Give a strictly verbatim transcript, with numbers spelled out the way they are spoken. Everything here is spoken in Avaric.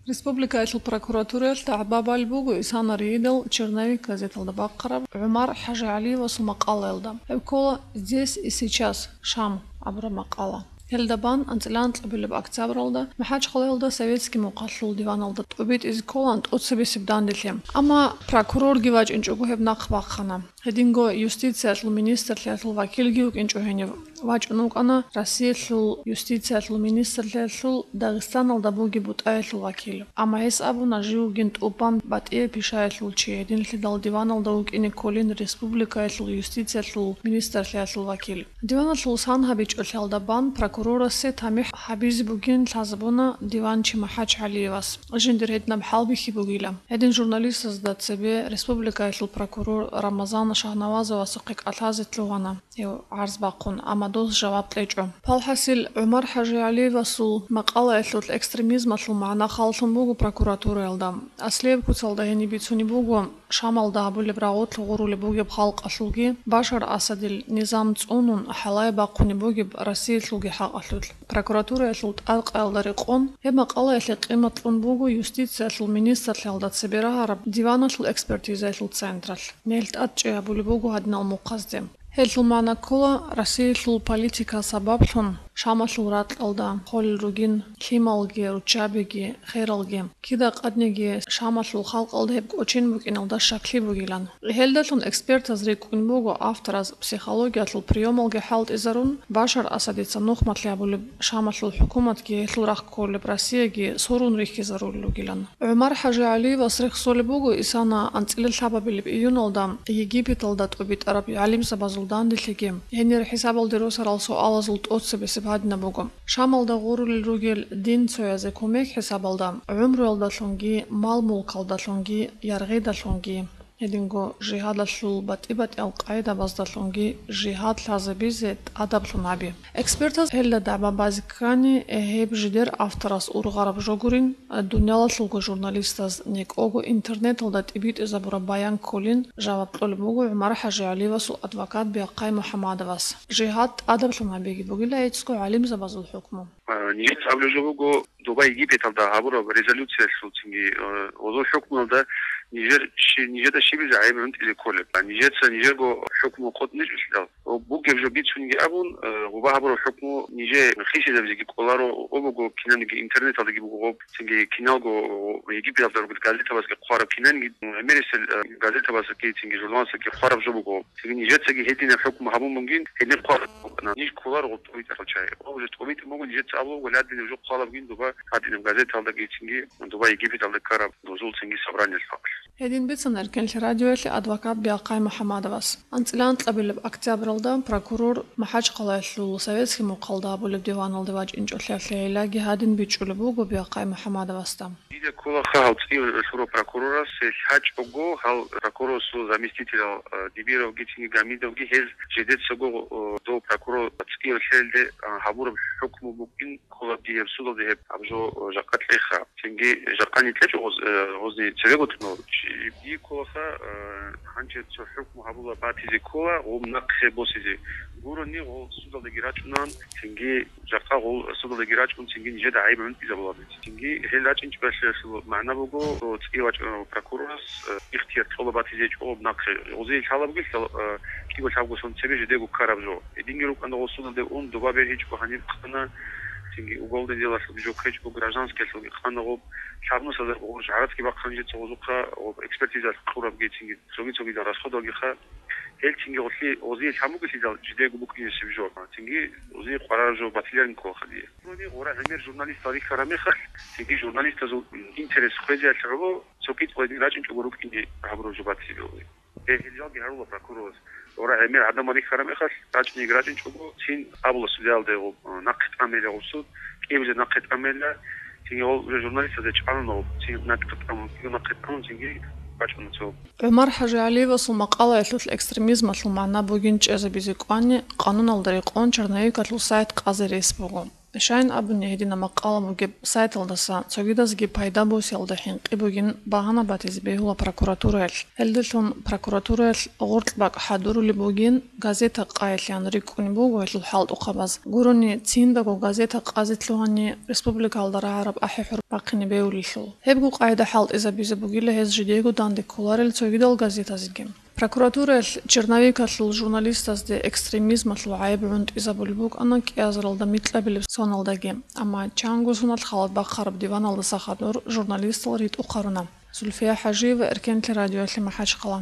Республикаялъул прокуратураялъ дагӀба балеб буго Исана Ригьидал «Черновик» газеталда бахъараб ГӀумар ХӀажигӀалиевасул макъалаялда. Гьеб ккола «Здесь и сейчас», Шам абураб макъала. Гьелда бан анцӀила анкьабилеб октябралда МахӀачхъалаялда советский мухъалъул диваналда тӀубитӀизе кколаан тӀоцебесеб данделъи. Амма прокурорги вачӀинчӀого гьеб нахъ бахъана. Гьединго юстициялъул министрлъиялъул вакилги вукӀинчӀо гьенив. ВачӀун вукӀана Россиялъул юстициялъул министрлъиялъул Дагъистаналда бугеб бутӀаялъул вакил. Амма гьес абуна, жив вугин тӀубан батӀияб пишаялъул чи, гьединлъидал диваналда вукӀине кколин республикаялъул юстициялъул министрлъиялъул вакил. Диваналъул сан гьабичӀолъиялда бан прокурорасе тамихӀ гьабизе бугин лъазабуна диванчи МахӀачхӀалиевас. Жиндир гьединаб хӀалбихьи бугила. Гьедин журналистазда цебе республикаялъул прокурор Рамазан Шагьнавазовасухъе кӀалъазе лъугьана гьев гӀарз бахъун, амма дос жаваб кьечӀо. Палхасил ГӀумар ХӀажигӀалиевасул макъалаялъулъ экстремизмалъул магӀна халлъун буго прокуратураялда. Аслияб куцалда гьениб бицунеб буго Шамалда гьабулеб рагъулъ гъурулеб бугеб халкъалъулги Башар Асадил низам цӀунун хӀалае бахъунеб бугеб Россиялъулги хӀакъалъулъ. Прокуратураялъул тӀадкъаялда рекъон, гьеб макъалаялъе къимат кьун буго юстициялъул министрлъиялда цебе рагьараб диваналъул экспертизаялъул централъ. Нел тӀадчӀей гьабулеб буго гьадинал мухъазде. Гьелъул магӀна ккола, Россиялъул политика сабаблъун Шамалъул ракьалда холел ругин лъималги, руччабиги, хералги. Кида къадниги Шамалъул халкъалда гьеб кӀочен букӀиналда щаклъи бугилан. Гьелдалъун экспертаз рикӀкӀун буго автораз психологиялъул приёмалги хӀалтӀизарун, Башар Асадица нухмалъи гьабулеб Шамалъул хӀукуматги гьелъул рахъ кколеб Россияги сурун рихьизарулел ругилан. ГӀумар ХӀажигӀалиевас рехсолеб буго Исана анцӀила лъабабилеб июналда Египеталда тӀубитӀараб гӀалимзабазул данделъиги. Гьенир хӀисабалде росарал суалазул тӀоцебесеб гьадинаб буго. Шамалда гъурулел ругел динцоязе кумек хӀисабалда, гӀумруялдалъунги, мал-мулкалдалъунги, яргъидалъунги, гьединго жигьадалъул батӀи-батӀиял къайдабаздалъунги жигьад лъазабизе тӀадаблъун гьаби. Экспертаз гьелда дагӀба базе ккани, гьеб жидер авторас ургъараб жо гурин, дуниялалъулго журналистаз некӀого интернеталда тӀибитӀизабураб баян кколин жаваб кьолеб буго ГӀумар ХӀажигӀалиевасул адвокат Биахъай МухӀамадовас. Жигьад тӀадаблъун гьабиги бугила гьецӀго гӀалимзабазул хӀукму. А, нижеца абулеб жо буго, доба Египеталда гьабураб резолюциялъул цинги, э, гъозул хӀукмуялда нижер щи-, нижеда щибизе гӀайиб гӀунтӀизе кколеб. А нижеца нижерго хӀукму къотӀничӀелъидал, гъо-, бугеб жо бицунги абун, э, гъоба гьабураб хӀукму нижее хисизабизеги кӀоларо, гъо буго кинаниги интернеталдаги буго гъоб, цинги киналго Египеталда ругел газетабазги хъвараб кинаниги, гӀемерисел, э, газетабазги, цинги журналазги хъвараб жо буго. Цинги нижецаги гьединаб хӀукму гьабун бугин, гьедин хъвараб букӀана. Ниж кколаро гъоб тӀубитӀарал чагӀи. Гъоб уже тӀубитӀун буго, нижеца абулеб буго, ладинаб жо хъвалеб бугин доба гьадинаб газеталдаги цинги доба Египеталда ккараб дозул цинги собраниялъ бакӀалъ. Гьедин бицана Эркенлъи радиоялъе адвокат Биахъай МухӀамадовас. АнцӀила анкьабилеб октябралда прокурор МахӀачхъалаялъул советский мухъалда гьабулеб диваналде вачӀинчӀолъиялъе гӀиллаги гьадин бичӀчӀулеб буго Биахъай МухӀамадовасда. Дида кколаха гьав цӀияве лъурав прокурорас, гьел лъачӀого гьал прокурорасул заместителал, э, Дибировги цинги Гамидовги, гьез жидецаго, э, дов прокурор цӀияве лъелде, э, гьабураб хӀукму букӀин ккола дие гьеб судалде гьеб гьаб жо, э, жакъа кьеха. Цинги жакъани кьечӀо гъоз-, э, гъозни цевего тӀунав чи. Дие кколаха, э, гьанже цо хӀукму гьабула батизе ккола, гъоб нахъе босизе. Гурони гъол судалдаги рачӀунан, цинги жакъа гъол судалдаги рачӀун, цинги нижеда гӀайиб гӀунтӀизабулаби. Цинги гьел рачӀинчӀеб балъиялъул магӀна буго, цӀи вачӀунав прокурорас, э, ихтияр кьола батизе чӀогӀоб нахъе. Гъозие лъалабги лъала, э, кӀиго-лъабго сон цебе жидего ккараб жо. Гьединги рукӀана гъол судалде ун, доба бергьичӀого гьаниб хъана, цинги уголовный делалъулги жо ккечӀого, гражданскиялъулги хъана гъоб. Лъабнусазда гъорж гӀарацги бахъана жеца гъозухъа, гъоб экспертиза кьурабги, цинги цоги-цогидал расходалги ха. Гьел цинги гъолъи гъозие лъан бугелъидал жидего букӀинесеб жо. Цинги гъозие къварараб жо батиларин кколаха дие. Гъора гӀемер журналистал рихьараб мехалъ, цинги журналистазул интерес хвезеялъе гӀоло цо кӀицӀго гьедин рачӀинчӀого рукӀине гьабураб жо батиларони. Гьел жалги гьарула прокурорас. Гъора гӀемер гӀадамал рихьараб мехалъ, рачӀинеги рачӀинчӀого, цин абула судиялда гъоб, э, нахъе тӀамейила гъоб суд, кӀиабилеб нахъе тӀамейила, цинги гъол уже журналистазда чӀалуна гъоб, цин нахъе тӀамун, кӀиго нахъе тӀамун, цинги бачӀуна цо. ГӀумар ХӀажигӀалиевасул макъалаялъулъ экстремизмалъул магӀна бугин чӀезабизе кӀвани, къануналда рекъон черновикалъул сайт къазе рес буго. Щайин абуни, гьедина макъала бугеб сайталдаса цогидазги пайда босиялда хӀинкъи бугин багьана батизе бегьула прокуратураялъ. Гьелдалъун прокуратураялъ гъоркь бакӀ хӀадурулеб бугин, газета къайилъан рикӀкӀунеб буго гьелъул хӀалтӀухъабаз. Гурони циндаго газета къазе лъугьани, республикалда рагӀараб ахӀи-хӀур бахъине бегьулелъул. Гьебго къайда хӀалтӀизабизе бугила гьез жидего данде кколарел цогидал газетазеги. Прокуратураялъ черновикалъул журналистазде экстремизмалъул гӀайиб гӀунтӀизабулеб букӀана кӀиазаралда микьабилеб соналдаги, амма чанго соналъ халат бахъараб диваналдаса хадур журналистал ритӀухъ гьаруна. Зульфия ХӀажиева, Эркенлъи радиоялъе МахӀачхъала.